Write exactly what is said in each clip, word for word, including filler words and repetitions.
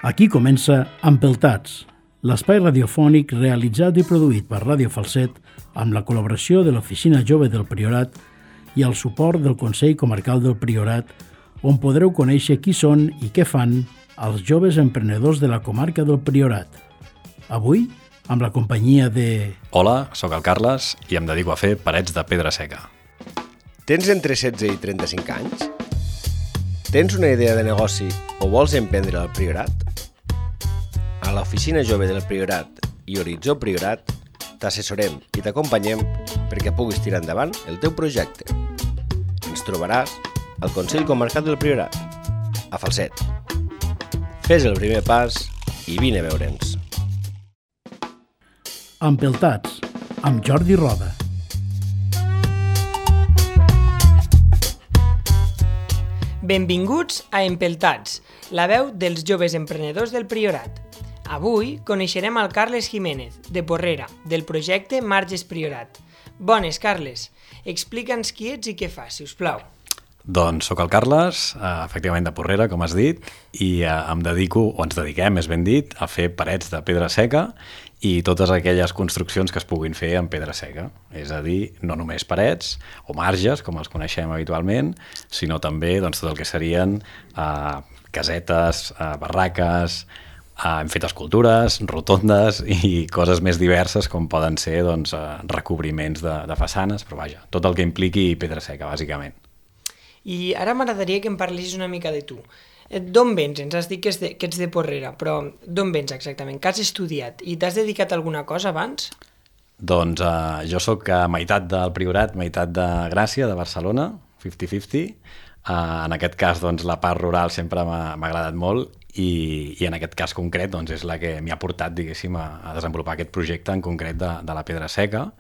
Aquí comença Empeltats, l'espai radiofònic realitzat i produït per Ràdio Falset amb la col·laboració de l'Oficina Jove del Priorat i el suport del Consell Comarcal del Priorat, on podreu conèixer qui són i què fan els joves emprenedors de la comarca del Priorat. Avui, amb la companyia de... Hola, sóc el Carles i em dedico a fer parets de pedra seca. Tens entre setze i trenta-cinc anys? Tens una idea de negoci o vols emprendre al Priorat? A l'Oficina Jove del Priorat i Horitzó Priorat t'assessorem i t'acompanyem perquè puguis tirar endavant el teu projecte. Ens trobaràs al Consell Comarcal del Priorat, a Falset. Fes el primer pas i vine a veure'ns. Empeltats, amb Jordi Roda. Benvinguts a Empeltats, la veu dels joves emprenedors del Priorat. Avui coneixerem el Carles Jiménez, de Porrera, del projecte Marges Priorat. Bones, Carles. Explica'ns qui ets i què fas, si us plau. Doncs sóc el Carles, efectivament de Porrera, com has dit, i em dedico, o ens dediquem, més ben dit, a fer parets de pedra seca i totes aquelles construccions que es puguin fer en pedra seca. És a dir, no només parets o marges, com els coneixem habitualment, sinó també doncs, tot el que serien eh, casetes, eh, barraques, eh, hem fet escultures, rotondes i coses més diverses com poden ser doncs, eh, recobriments de, de façanes, però vaja, tot el que impliqui pedra seca, bàsicament. I ara m'agradaria que em parlessis una mica de tu. D'on vens? Ens has dit que, de, que ets de Porrera, però d'on vens exactament? Què has estudiat? I t'has dedicat a alguna cosa abans? Doncs eh, jo sóc a meitat del Priorat, meitat de Gràcia, de Barcelona, cinquanta cinquanta. Eh, en aquest cas, doncs, la part rural sempre m'ha agradat molt i, i en aquest cas concret doncs, és la que m'hi ha portat, diguéssim, a, a desenvolupar aquest projecte en concret de, de la pedra seca.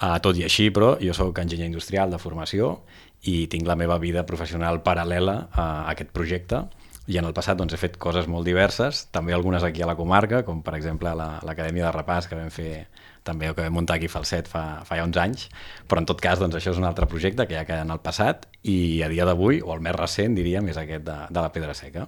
Eh, tot i així, però, jo sóc enginyer industrial de formació i tinc la meva vida professional paral·lela a aquest projecte i en el passat doncs, he fet coses molt diverses, també algunes aquí a la comarca, com per exemple l'Acadèmia de Repàs que vam fer també o que vam muntar aquí a Falset fa, fa ja uns anys, però en tot cas doncs, això és un altre projecte que ja queda en el passat i a dia d'avui, o el més recent diríem, és aquest de, de la pedra seca.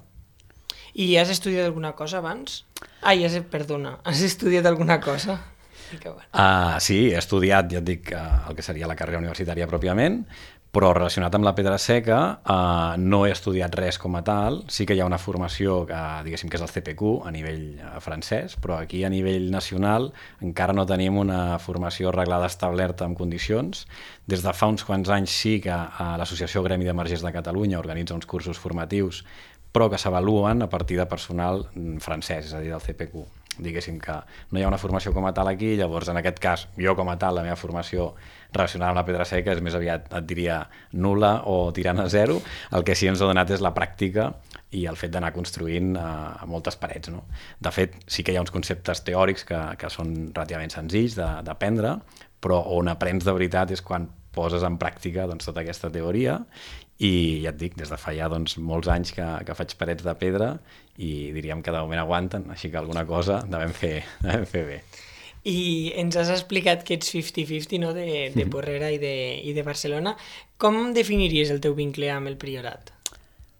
I has estudiat alguna cosa abans? Ai, has, perdona, has estudiat alguna cosa? Uh, sí, he estudiat, ja et dic, uh, el que seria la carrera universitària pròpiament, però relacionat amb la pedra seca uh, no he estudiat res com a tal. Sí que hi ha una formació que, diguéssim, que és el C P Q a nivell uh, francès, però aquí a nivell nacional encara no tenim una formació reglada establerta en condicions. Des de fa uns quants anys sí que uh, l'Associació Gremi de Margers de Catalunya organitza uns cursos formatius, però que s'avaluen a partir de personal francès, és a dir, del C P Q. Diguéssim que no hi ha una formació com a tal aquí, llavors en aquest cas, jo com a tal, la meva formació relacionada amb la pedra seca és més aviat, et diria, nul·la o tirant a zero. El que sí ens ha donat és la pràctica i el fet d'anar construint eh, moltes parets. No? De fet, sí que hi ha uns conceptes teòrics que, que són relativament senzills d'aprendre, però on aprens de veritat és quan poses en pràctica doncs, tota aquesta teoria i ja et dic, des de fa ja doncs, molts anys que, que faig parets de pedra i diríem que de moment aguanten, així que alguna cosa devem fer, devem fer bé. I ens has explicat que ets cinquanta cinquanta, no? de, de Porrera i de, i de Barcelona. Com definiries el teu vincle amb el Priorat?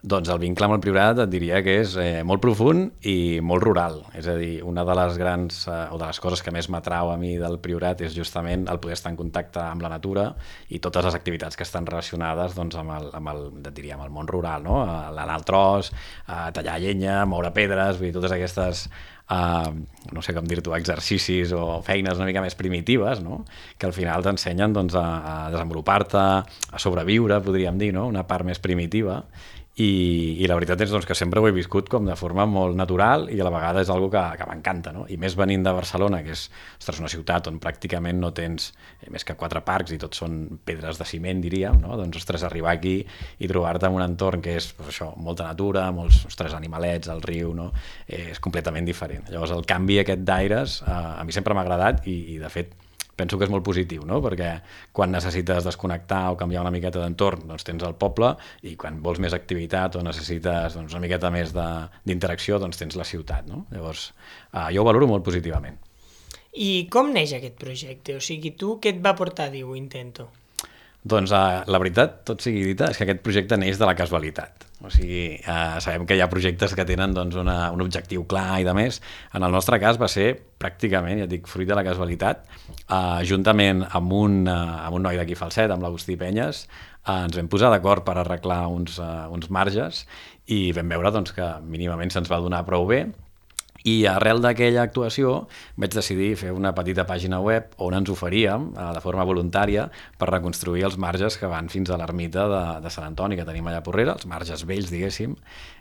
Doncs el vincle amb el Priorat et diria que és eh, molt profund i molt rural. És a dir, una de les grans eh, o de les coses que més m'atrau a mi del Priorat és justament el poder estar en contacte amb la natura i totes les activitats que estan relacionades doncs, amb, el, amb, el, et diria, amb el món rural, no? L'anar al tros, a tallar llenya, moure pedres, vull dir, totes aquestes Uh, no sé com dir-t'ho, exercicis o feines una mica més primitives, no? Que al final t'ensenyen doncs, a, a desenvolupar-te, a sobreviure, podríem dir, no? Una part més primitiva. I, i la veritat és doncs, que sempre ho he viscut com de forma molt natural i a la vegada és algo que, que m'encanta, no? I més venint de Barcelona, que és ostres, una ciutat on pràcticament no tens eh, més que quatre parcs i tots són pedres de ciment, diríem, no? Doncs, ostres, arribar aquí i trobar-te en un entorn que és doncs, això, molta natura, molts ostres, animalets, el riu, no? Eh, és completament diferent. Llavors, el canvi aquest d'aires eh, a mi sempre m'ha agradat i, i, de fet, penso que és molt positiu, no? Perquè quan necessites desconnectar o canviar una miqueta d'entorn, doncs tens el poble i quan vols més activitat o necessites doncs, una miqueta més d'interacció, doncs tens la ciutat, no? Llavors, eh, jo ho valoro molt positivament. I com neix aquest projecte? O sigui, tu què et va portar a dir ho intento? Doncs uh, la veritat, tot sigui dita, és que aquest projecte neix de la casualitat. O sigui, uh, sabem que hi ha projectes que tenen doncs, una, un objectiu clar i de més. En el nostre cas va ser pràcticament, ja et dic, fruit de la casualitat, uh, juntament amb un, uh, amb un noi d'aquí Falset, amb l'Agustí Penyes, uh, ens vam posar d'acord per arreglar uns, uh, uns marges i vam veure doncs, que mínimament se'ns va donar prou bé. I arrel d'aquella actuació vaig decidir fer una petita pàgina web on ens oferíem, de forma voluntària, per reconstruir els marges que van fins a l'ermita de, de Sant Antoni, que tenim allà a Porrera, els marges vells, diguéssim.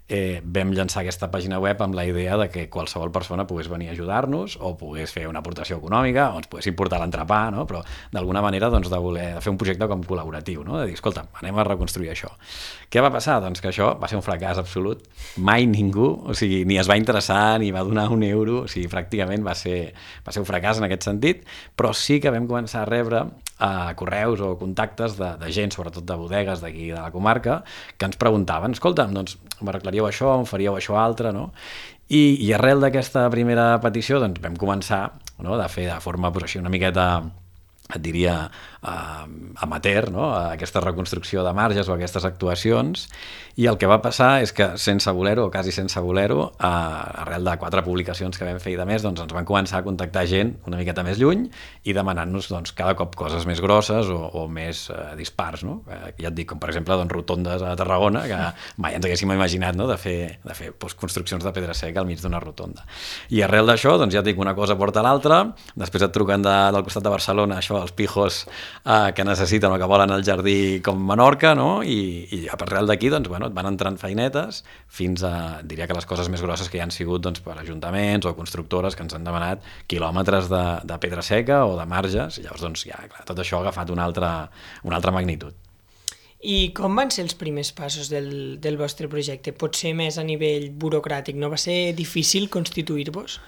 Eh, vam llançar aquesta pàgina web amb la idea de que qualsevol persona pogués venir a ajudar-nos o pogués fer una aportació econòmica o ens poguessin portar l'entrepà, no? Però d'alguna manera doncs, de voler de fer un projecte com col·laboratiu, no? De dir, escolta, anem a reconstruir això. Què va passar? Doncs que això va ser un fracàs absolut. Mai ningú, o sigui, ni es va interessar ni va donar un euro, o sigui, pràcticament va ser, va ser un fracàs en aquest sentit, però sí que vam començar a rebre a correus o contactes de, de gent, sobretot de bodegues d'aquí de la comarca, que ens preguntaven, escolta, doncs m'arreglaríeu això, em faríeu això altre, no? I, i arrel d'aquesta primera petició doncs vam començar, no?, de fer de forma pues, així una miqueta, et diria, uh, amateur, no?, aquesta reconstrucció de marges o aquestes actuacions, i el que va passar és que sense voler-ho, o quasi sense voler-ho, uh, arrel de quatre publicacions que vam fer i de més, doncs ens van començar a contactar gent una miqueta més lluny i demanant-nos doncs, cada cop coses més grosses o, o més uh, dispars, no? Uh, ja et dic, com per exemple doncs, rotondes a Tarragona, que mai ens haguéssim imaginat, no?, de fer, de fer doncs, construccions de pedra seca al mig d'una rotonda. I arrel d'això, doncs ja et dic, una cosa porta l'altra, després et truquen de, del costat de Barcelona, això, els pijos eh, que necessiten o que volen el jardí com Menorca, no? I, i arrel d'aquí doncs, bueno, et van entrant feinetes fins a, diria que les coses més grosses que hi han sigut doncs, per ajuntaments o constructores que ens han demanat quilòmetres de, de pedra seca o de marges, i llavors doncs, ja, clar, tot això ha agafat una altra, una altra magnitud. I com van ser els primers passos del, del vostre projecte? Potser més a nivell burocràtic, no va ser difícil constituir-vos?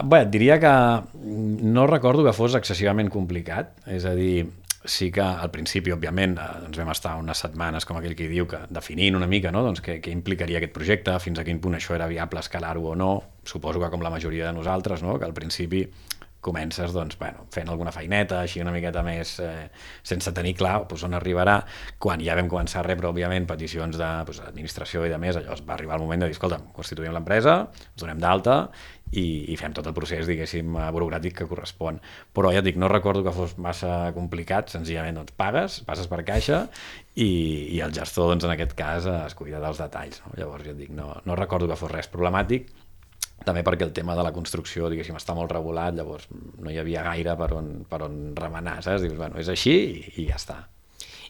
Bé, diria que no recordo que fos excessivament complicat, és a dir, sí que al principi, òbviament, doncs vam estar unes setmanes, com aquell que diu, que definint una mica, no?, doncs, què, què implicaria aquest projecte, fins a quin punt això era viable escalar-ho o no. Suposo que com la majoria de nosaltres, no?, que al principi comences doncs, bueno, fent alguna feineta, així una miqueta més, eh, sense tenir clar doncs, on arribarà. Quan ja vam començar a rebre, òbviament, peticions d'administració i de més, llavors va arribar el moment de dir, escolta, constituïm l'empresa, ens donem d'alta i, i fem tot el procés, diguéssim, burocràtic que correspon. Però ja et dic, no recordo que fos massa complicat, senzillament doncs, pagues, passes per caixa i, i el gestor, doncs, en aquest cas, es cuida dels detalls. No? Llavors, ja et dic, no, no recordo que fos res problemàtic, també perquè el tema de la construcció, diguéssim, està molt regulat, llavors no hi havia gaire per on, per on remenar, saps? Dius, bueno, és així i, i ja està.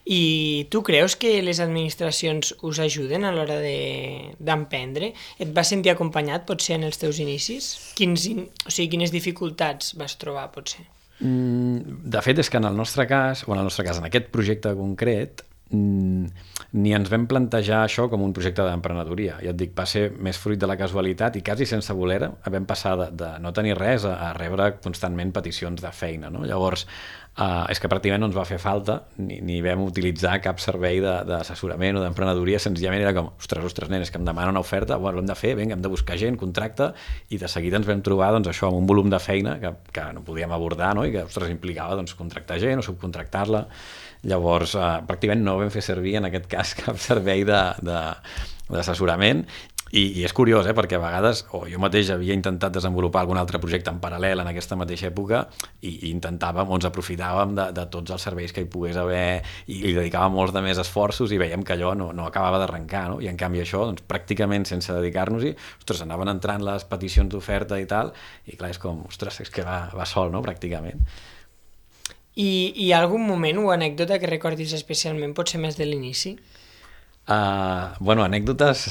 I tu creus que les administracions us ajuden a l'hora d'emprendre? Et vas sentir acompanyat, potser, en els teus inicis? Quins, o sigui, quines dificultats vas trobar, potser? Mm, de fet, és que en el nostre cas, o en el nostre cas, en aquest projecte concret, ni ens vam plantejar això com un projecte d'emprenedoria. Ja et dic, va ser més fruit de la casualitat i quasi sense voler vam passar de, de no tenir res a, a rebre constantment peticions de feina, no? Llavors, uh, és que pràcticament no ens va fer falta ni, ni vam utilitzar cap servei d'assessorament o d'emprenedoria, senzillament era com, ostres, ostres, nenes, que em demana una oferta, bueno, l'hem de fer, vinga, hem de buscar gent, contracte, i de seguida ens vam trobar doncs, això amb un volum de feina que, que no podíem abordar, no? I que, ostres, implicava doncs, contractar gent o subcontractar-la. Llavors, eh, pràcticament no vam fer servir en aquest cas cap servei d'assessorament i, i és curiós, eh, perquè a vegades o jo mateix havia intentat desenvolupar algun altre projecte en paral·lel en aquesta mateixa època i, i intentàvem o ens aprofitàvem de, de tots els serveis que hi pogués haver i li dedicàvem molts de més esforços i veiem que allò no, no acabava d'arrencar, no? I en canvi això, doncs, pràcticament sense dedicar-nos-hi, ostres, anaven entrant les peticions d'oferta i tal, i clar, és com, ostres, és que va, va sol, no?, pràcticament. I hi ha algun moment o anècdota que recordis especialment, potser més de l'inici? Uh, bueno, anècdotes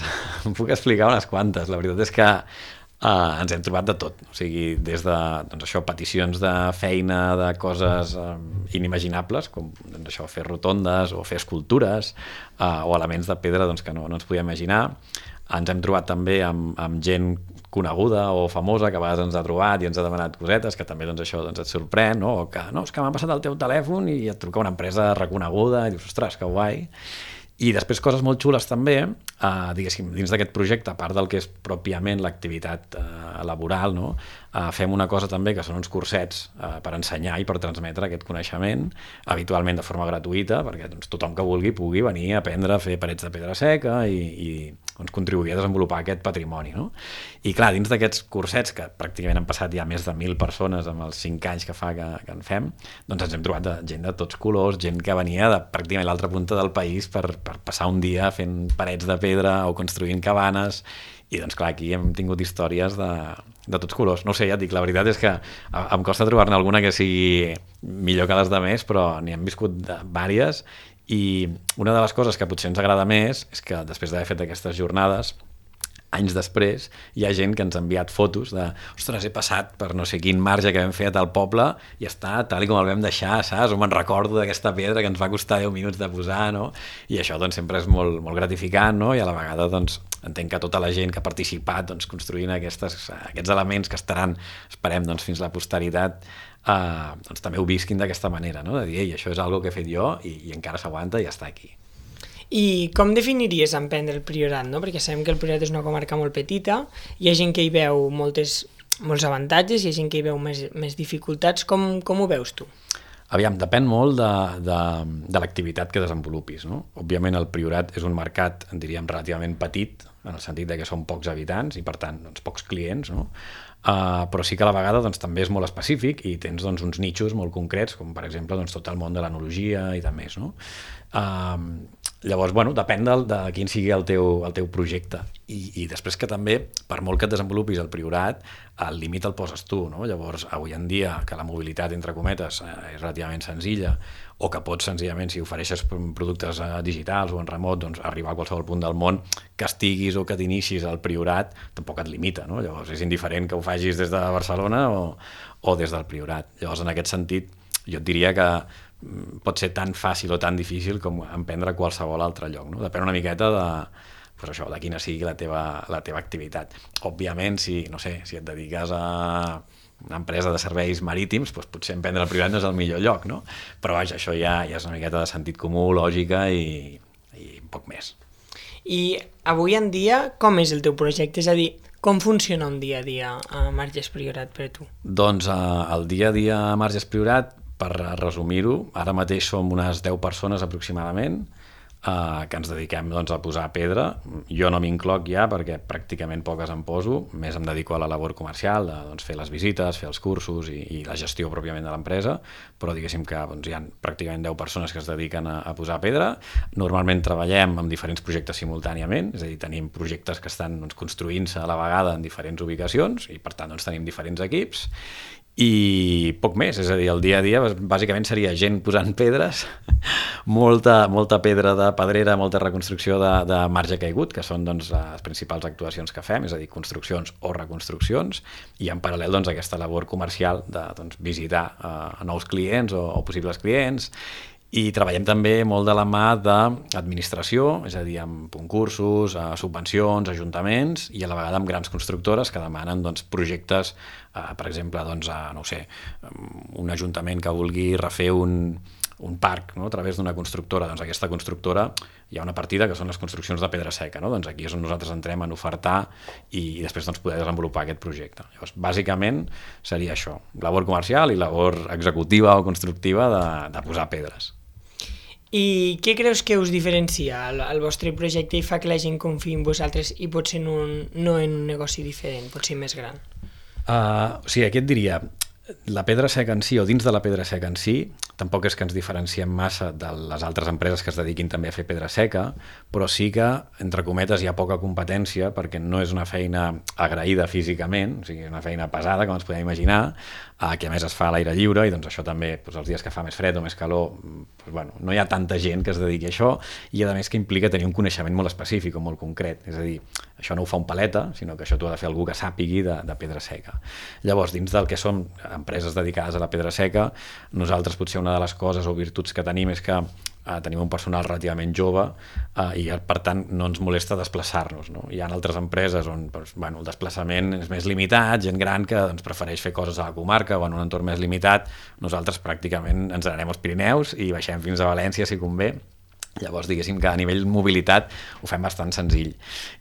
em puc explicar unes quantes. La veritat és que uh, ens hem trobat de tot. O sigui, des de doncs això, peticions de feina, de coses uh, inimaginables, com doncs això, fer rotondes o fer escultures uh, o elements de pedra doncs, que no, no ens podíem imaginar. Ens hem trobat també amb, amb gent coneguda o famosa que a vegades ens ha trobat i ens ha demanat cosetes, que també doncs, això doncs, et sorprèn, no? O que no, és que m'ha passat el teu telèfon i et truca una empresa reconeguda i dius, ostres, que guai. I després coses molt xules també, eh, diguéssim, dins d'aquest projecte, a part del que és pròpiament l'activitat eh, laboral, no? eh, fem una cosa també que són uns cursets eh, per ensenyar i per transmetre aquest coneixement, habitualment de forma gratuïta, perquè doncs, tothom que vulgui pugui venir a aprendre a fer parets de pedra seca i, i doncs, contribuir a desenvolupar aquest patrimoni. No? I clar, dins d'aquests cursets, que pràcticament han passat ja més de mil persones amb els cinc anys que fa que, que en fem, doncs ens hem trobat de gent de tots colors, gent que venia de pràcticament l'altra punta del país per, per passar un dia fent parets de pedra o construint cabanes, i doncs clar, aquí hem tingut històries de, de tots colors. No ho sé, ja et dic, la veritat és que em costa trobar-ne alguna que sigui millor que les de més, però n'hi hem viscut vàries, i una de les coses que potser ens agrada més és que després d'haver fet aquestes jornades, anys després, hi ha gent que ens ha enviat fotos de, ostres, he passat per no sé quin marge que vam fer a tal poble i està tal i com el vam deixar, saps? O me'n recordo d'aquesta pedra que ens va costar deu minuts de posar, no? I això doncs sempre és molt, molt gratificant, no? I a la vegada doncs entenc que tota la gent que ha participat doncs, construint aquestes, aquests elements que estaran, esperem, doncs, fins a la posteritat, eh, doncs també ho visquin d'aquesta manera, no? De dir, ei, això és algo que he fet jo i, i encara s'aguanta i ja està aquí. I com definiries emprendre el Priorat, no? Perquè sabem que el Priorat és una comarca molt petita, hi ha gent que hi veu moltes, molts avantatges, hi ha gent que hi veu més, més dificultats. Com, com ho veus tu? Aviam, depèn molt de, de, de l'activitat que desenvolupis, no? Òbviament el Priorat és un mercat, en diríem, relativament petit, en el sentit de que són pocs habitants i per tant doncs, pocs clients, no? Uh, però sí que a la vegada doncs, també és molt específic i tens doncs, uns nichos molt concrets, com per exemple doncs, tot el món de l'enologia i de més, no? Uh, llavors, bueno, depèn de, de quin sigui el teu, el teu projecte. I, i després que també, per molt que et desenvolupis el Priorat, el límit el poses tu, no? Llavors, avui en dia, que la mobilitat, entre cometes, és relativament senzilla, o que pots senzillament, si ofereixes productes digitals o en remot, doncs arribar a qualsevol punt del món, que estiguis o que t'inicis al Priorat, tampoc et limita, no? Llavors és indiferent que ho facis des de Barcelona o, o des del Priorat. Llavors, en aquest sentit, jo et diria que pot ser tan fàcil o tan difícil com emprendre qualsevol altre lloc, no? Depèn una miqueta de, pues això, de quina sigui la teva, la teva activitat. Òbviament, si, no sé, si et dediques a una empresa de serveis marítims, doncs potser emprendre el Priorat no és el millor lloc, no? Però vaja, això ja, ja és una miqueta de sentit comú, lògica i, i poc més. I avui en dia, com és el teu projecte? És a dir, com funciona un dia a dia a Marges Priorat per tu? Doncs eh, el dia a dia a Marges Priorat, per resumir-ho, ara mateix som unes deu persones aproximadament eh, que ens dediquem doncs, a posar pedra. Jo no m'incloc ja perquè pràcticament poques em poso, més em dedico a la labor comercial, de doncs, fer les visites, fer els cursos i, i la gestió pròpiament de l'empresa, però diguéssim que doncs, hi ha pràcticament deu persones que es dediquen a, a posar pedra. Normalment treballem amb diferents projectes simultàniament, és a dir, tenim projectes que estan doncs, construint-se a la vegada en diferents ubicacions i per tant doncs, tenim diferents equips. I poc més, és a dir, el dia a dia bàsicament seria gent posant pedres, molta, molta pedra de pedrera, molta reconstrucció de, de marge caigut, que són doncs, les principals actuacions que fem, és a dir, construccions o reconstruccions, i en paral·lel doncs, aquesta labor comercial de doncs, visitar uh, nous clients o, o possibles clients. I treballem també molt de la mà d'administració, és a dir, amb concursos, subvencions, ajuntaments i a la vegada amb grans constructores que demanen doncs, projectes, eh, per exemple, doncs, a, no ho sé, un ajuntament que vulgui refer un, un parc, no? A través d'una constructora. Doncs aquesta constructora hi ha una partida que són les construccions de pedra seca, no? Doncs aquí és on nosaltres entrem en ofertar i, i després doncs, poder desenvolupar aquest projecte. Llavors, bàsicament seria això, labor comercial i labor executiva o constructiva de, de posar pedres. I què creus que us diferencia el, el vostre projecte i fa que la gent confiï en vosaltres i potser no, no en un negoci diferent, potser més gran? Uh, o sigui, aquí et diria, la pedra seca en si, o dins de la pedra seca en si, tampoc és que ens diferenciem massa de les altres empreses que es dediquin també a fer pedra seca, però sí que, entre cometes, hi ha poca competència perquè no és una feina agraïda físicament, o sigui, és una feina pesada, com ens podem imaginar, eh, que a més es fa a l'aire lliure i doncs això també, doncs, els dies que fa més fred o més calor, doncs, bueno, no hi ha tanta gent que es dediqui a això i a més que implica tenir un coneixement molt específic o molt concret, és a dir, això no ho fa un paleta, sinó que això t'ho ha de fer algú que sàpigui de, de pedra seca. Llavors, dins del que som empreses dedicades a la pedra seca, nosaltres potser una de les coses o virtuts que tenim és que eh, tenim un personal relativament jove eh, i per tant no ens molesta desplaçar-nos, no? Hi ha altres empreses on doncs, bueno, el desplaçament és més limitat, gent gran que doncs, prefereix fer coses a la comarca o en un entorn més limitat. Nosaltres pràcticament ens anem als Pirineus i baixem fins a València si convé Llavors, diguéssim que a nivell mobilitat ho fem bastant senzill.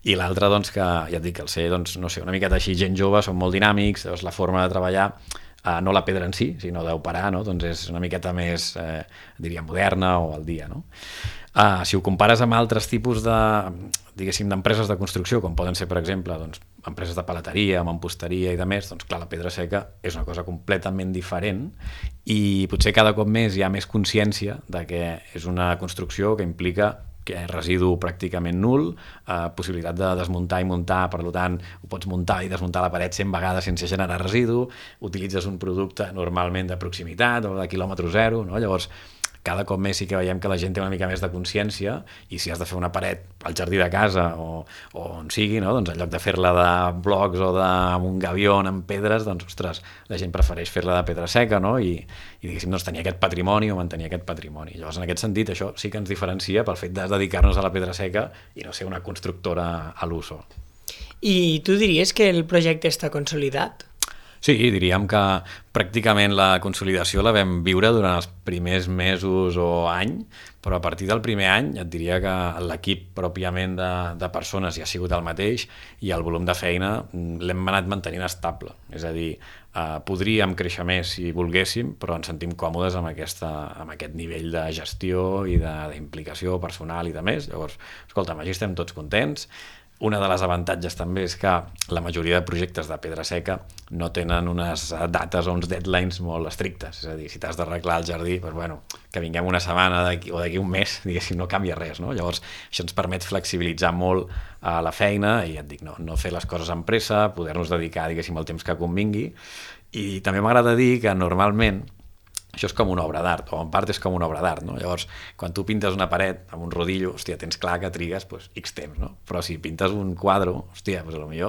I l'altre, doncs, que ja et dic, el ser, doncs, no sé, una miqueta així, gent jove, són molt dinàmics, doncs la forma de treballar, eh, no la pedra en si, sinó d'operar, no? Doncs és una miqueta més, eh, diria, moderna o al dia, no? Uh, si ho compares amb altres tipus de, diguéssim, d'empreses de construcció, com poden ser, per exemple, doncs, empreses de paleteria, mamposteria i de més, doncs clar, la pedra seca és una cosa completament diferent i potser cada cop més hi ha més consciència de que és una construcció que implica que és residu pràcticament nul, eh, possibilitat de desmuntar i muntar, per tant, ho pots muntar i desmuntar la paret cent vegades sense generar residu, utilitzes un producte normalment de proximitat o de quilòmetre zero, no? Llavors, cada cop més sí que veiem que la gent té una mica més de consciència i si has de fer una paret al jardí de casa o, o on sigui, no? Doncs en lloc de fer-la de blocs o d'un gavió amb pedres, doncs, ostres, la gent prefereix fer-la de pedra seca, no? I, i diguéssim, doncs, tenir aquest patrimoni o mantenir aquest patrimoni. Llavors, en aquest sentit, això sí que ens diferencia pel fet de dedicar-nos a la pedra seca i no ser una constructora a l'uso. I tu diries que el projecte està consolidat? Sí, diríem que pràcticament la consolidació la vam viure durant els primers mesos o any, però a partir del primer any et diria que l'equip pròpiament de, de persones ja ha sigut el mateix i el volum de feina l'hem anat mantenint estable. És a dir, eh, podríem créixer més si volguéssim, però ens sentim còmodes amb, aquesta, amb aquest nivell de gestió i d'implicació personal i de més. Llavors, escolta'm, així estem tots contents. Una de les avantatges també és que la majoria de projectes de pedra seca no tenen unes dates o uns deadlines molt estrictes. És a dir, si t'has d'arreglar el jardí, doncs, bueno, que vinguem una setmana o d'aquí un mes, diguéssim, no canvia res, no? Llavors, això ens permet flexibilitzar molt a la feina i et dic, no, no fer les coses amb pressa, poder-nos dedicar, diguéssim, el temps que convingui. I també m'agrada dir que normalment això és com una obra d'art, o en part és com una obra d'art, no? Llavors, quan tu pintes una paret amb un rodillo, hòstia, tens clar que trigues pues, X temps, no? Però si pintes un quadre, hòstia, pues, potser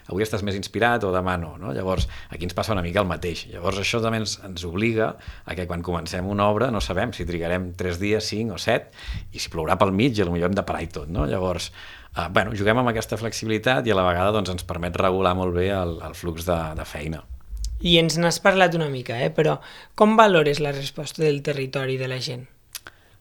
avui estàs més inspirat o demà no, no? Llavors, aquí ens passa una mica el mateix. Llavors, això també ens, ens obliga a que quan comencem una obra no sabem si trigarem tres dies, cinc o set, i si plourà pel mig, potser hem de parar i tot, no? Llavors, eh, bueno, juguem amb aquesta flexibilitat i a la vegada doncs, ens permet regular molt bé el, el flux de, de feina. I ens n'has parlat una mica, eh? Però com valores la resposta del territori de la gent?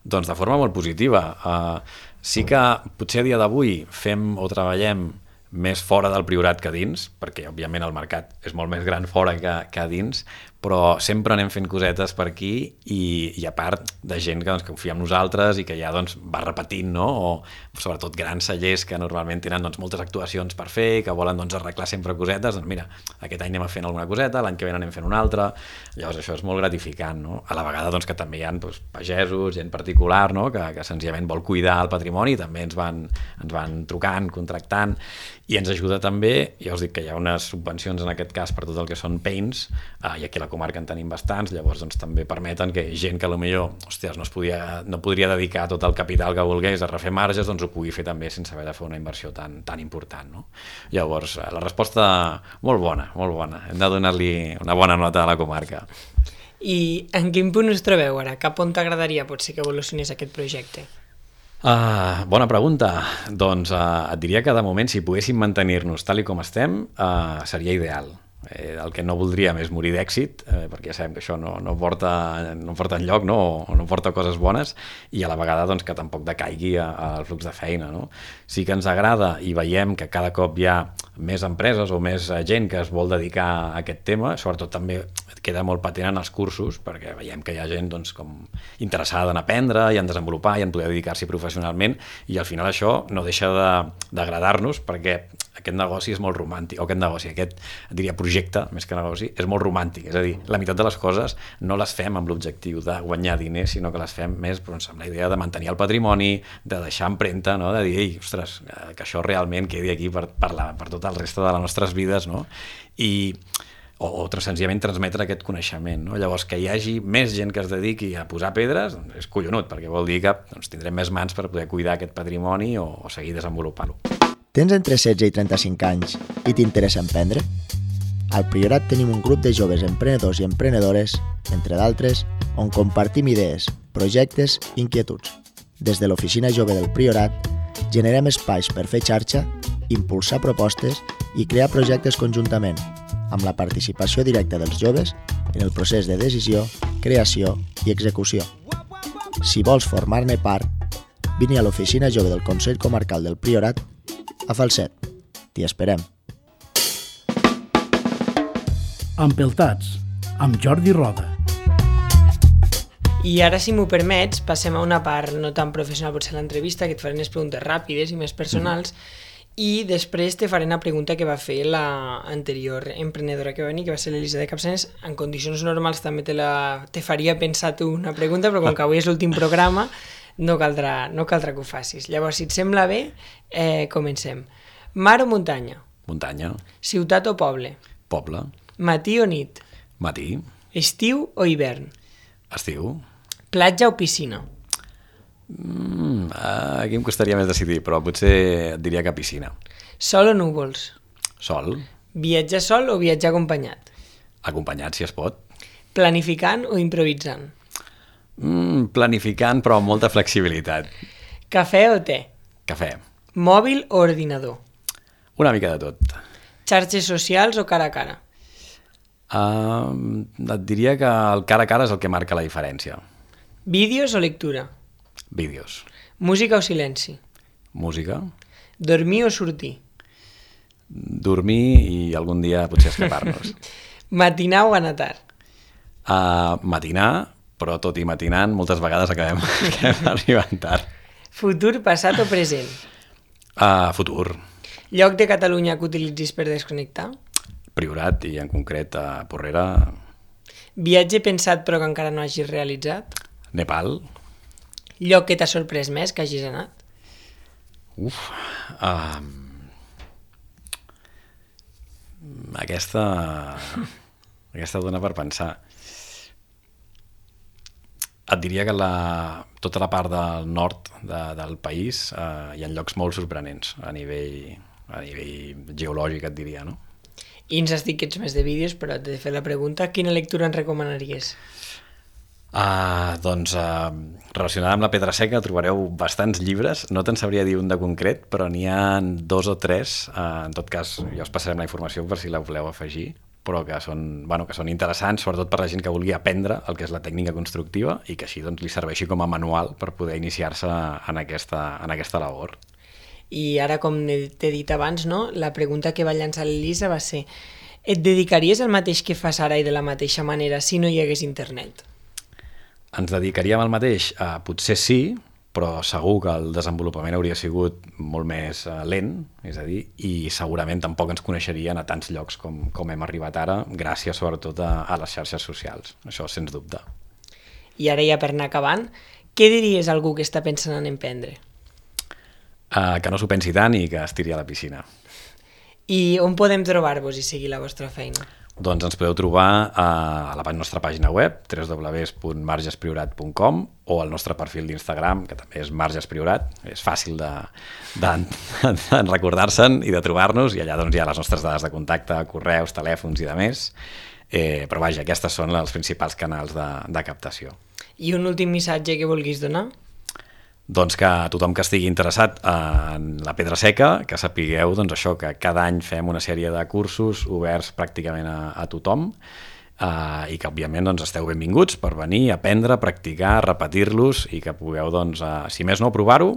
Doncs de forma molt positiva. Uh, sí que potser a dia d'avui fem o treballem més fora del Priorat que dins, perquè òbviament el mercat és molt més gran fora que, que a dins, però sempre anem fent cosetes per aquí i, i a part de gent que, doncs, que confia en nosaltres i que ja doncs, va repetint, no? O sobretot grans cellers que normalment tenen doncs, moltes actuacions per fer i que volen doncs, arreglar sempre cosetes, doncs mira, aquest any anem fent alguna coseta, l'any que ve anem fent una altra, llavors això és molt gratificant, no? A la vegada doncs, que també hi ha doncs, pagesos, gent particular, no? que, que senzillament vol cuidar el patrimoni, també ens van, ens van trucant, contractant, i ens ajuda també, ja us dic que hi ha unes subvencions en aquest cas per tot el que són paints, eh, i aquí a la comarca en tenim bastants, llavors doncs, també permeten que gent que potser hòsties, no, es podia, no podria dedicar tot el capital que volgués a refer marges, doncs ho pugui fer també sense haver de fer una inversió tan, tan important. No? Llavors, la resposta molt bona, molt bona. Hem de donar-li una bona nota a la comarca. I en quin punt us trobeu ara? Cap on t'agradaria potser que evolucionés aquest projecte? Uh, bona pregunta. Doncs uh, et diria que de moment si poguéssim mantenir-nos tal i com estem uh, seria ideal. Eh, el que no voldríem és morir d'èxit, eh, perquè ja sabem que això no, no, porta, no porta enlloc, no? O no porta coses bones, i a la vegada doncs, que tampoc decaigui al flux de feina. No? Sí que ens agrada i veiem que cada cop hi ha més empreses o més gent que es vol dedicar a aquest tema, sobretot també queda molt patent en els cursos, perquè veiem que hi ha gent doncs, com interessada en aprendre i en desenvolupar i en poder dedicar-s'hi professionalment, i al final això no deixa d'agradar-nos, perquè aquest negoci és molt romàntic, o aquest negoci, aquest, diria, projecte, més que negoci, és molt romàntic, és a dir, la meitat de les coses no les fem amb l'objectiu de guanyar diners, sinó que les fem més doncs, amb la idea de mantenir el patrimoni, de deixar empremta, no? De dir, ei, ostres, que això realment quedi aquí per, per, la, per tot el reste de les nostres vides, no? I o, o senzillament transmetre aquest coneixement. No? Llavors, que hi hagi més gent que es dediqui a posar pedres doncs és collonut, perquè vol dir que doncs, tindrem més mans per poder cuidar aquest patrimoni o, o seguir desenvolupant-lo. Tens entre setze i trenta-cinc anys i t'interessa emprendre? Al Priorat tenim un grup de joves emprenedors i emprenedores, entre d'altres, on compartim idees, projectes i inquietuds. Des de l'Oficina Jove del Priorat, generem espais per fer xarxa, impulsar propostes i crear projectes conjuntament, amb la participació directa dels joves en el procés de decisió, creació i execució. Si vols formar-ne part, vine a l'Oficina Jove del Consell Comarcal del Priorat a Falset. T'hi esperem. Empeltats, amb Jordi Roda. I ara, si m'ho permets, passem a una part no tan professional, potser l'entrevista, que et faré unes preguntes ràpides i més personals, mm. i després te faré una pregunta que va fer la anterior emprenedora que va venir, que va ser l'Elisa de Capçanes. En condicions normals també te, la, te faria pensar tu una pregunta, però com que avui és l'últim programa, no caldrà, no caldrà que ho facis. Llavors, si et sembla bé, eh, comencem. Mar o muntanya? Muntanya. Ciutat o poble? Poble. Matí o nit? Matí. Estiu o hivern? Estiu. Platja o piscina? Mm, aquí em costaria més decidir, però potser et diria que piscina. Sol o núvols? Sol. Viatjar sol o viatjar acompanyat? Acompanyat, si es pot. Planificant o improvisant? Mm, planificant, però amb molta flexibilitat. Cafè o te? Cafè. Mòbil o ordinador? Una mica de tot. Xarxes socials o cara a cara? Uh, et diria que el cara a cara és el que marca la diferència. Vídeos o lectura? Vídeos. Música o silenci? Música. Dormir o sortir? Dormir i algun dia potser escapar-nos. Matinar o anar tard? Uh, matinar, però tot i matinant moltes vegades acabem, acabem arribant tard. Futur, passat o present? Uh, futur. Lloc de Catalunya que utilitzis per desconnectar? Priorat i en concret a Porrera. Viatge pensat però que encara no hagis realitzat? Nepal. Lloc que t'ha sorprès més que hagis anat? Uf. Uh, aquesta... aquesta dona per pensar. Et diria que la, tota la part del nord de, del país uh, hi ha llocs molt sorprenents a nivell, a nivell geològic, et diria, no? I ens has dit que ets més de vídeos, però t'he de fer la pregunta, quina lectura ens recomanaries? Uh, doncs, uh, relacionada amb la pedra seca, trobareu bastants llibres, no te'n sabria dir un de concret, però n'hi ha dos o tres, uh, en tot cas, ja us passarem la informació per si la voleu afegir, però que són, bueno, que són interessants, sobretot per la gent que vulgui aprendre el que és la tècnica constructiva i que així doncs, li serveixi com a manual per poder iniciar-se en aquesta, en aquesta labor. I ara, com t'he dit abans, no? La pregunta que va llançar l'Elisa va ser: et dedicaries al mateix que fas ara i de la mateixa manera si no hi hagués internet? Ens dedicaríem al mateix? Uh, potser sí, però segur que el desenvolupament hauria sigut molt més uh, lent, és a dir, i segurament tampoc ens coneixerien a tants llocs com, com hem arribat ara, gràcies sobretot a, a les xarxes socials, això sens dubte. I ara ja per anar acabant, què diries a algú que està pensant en emprendre? Uh, que no s'ho pensi tant i que es tiri a la piscina. I on podem trobar-vos i seguir la vostra feina? Doncs ens podeu trobar a la nostra pàgina web, w w w punt margespriorat punt com, o al nostre perfil d'Instagram, que també és margespriorat. És fàcil de, de, de, de recordar-se'n i de trobar-nos, i allà doncs, hi ha les nostres dades de contacte, correus, telèfons i de més. Eh, però vaja, aquestes són els principals canals de, de captació. I un últim missatge que vulguis donar? Doncs que a tothom que estigui interessat en la pedra seca, que sapigueu doncs, això, que cada any fem una sèrie de cursos oberts pràcticament a, a tothom, eh, i que òbviament doncs, esteu benvinguts per venir, aprendre, practicar, repetir-los i que pugueu, doncs, eh, si més no, provar-ho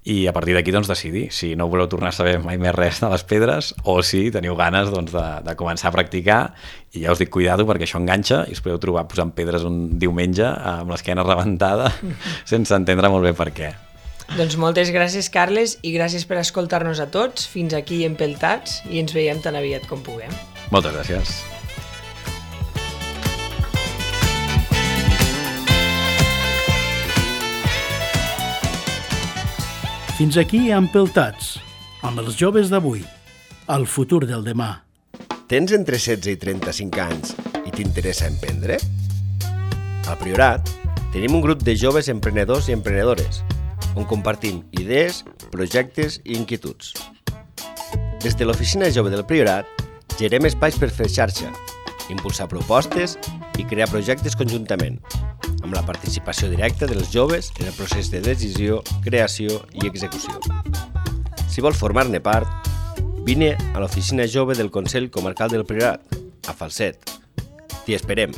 i a partir d'aquí doncs, decidir si no voleu tornar a saber mai més res de les pedres o si teniu ganes doncs, de, de començar a practicar. I ja us dic, cuidado, perquè això enganxa i us podeu trobar posant pedres un diumenge amb l'esquena rebentada sense entendre molt bé per què. Doncs moltes gràcies, Carles, i gràcies per escoltar-nos a tots. Fins aquí Empeltats i ens veiem tan aviat com puguem. Moltes gràcies. Fins aquí Empeltats, amb els joves d'avui, el futur del demà. Tens entre setze i trenta-cinc anys i t'interessa emprendre? Al Priorat tenim un grup de joves emprenedors i emprenedores on compartim idees, projectes i inquietuds. Des de l'Oficina Jove del Priorat gerem espais per fer xarxa, impulsar propostes i crear projectes conjuntament, amb la participació directa dels joves en el procés de decisió, creació i execució. Si vols formar-ne part, vine a l'Oficina Jove del Consell Comarcal del Priorat, a Falset. T'hi esperem!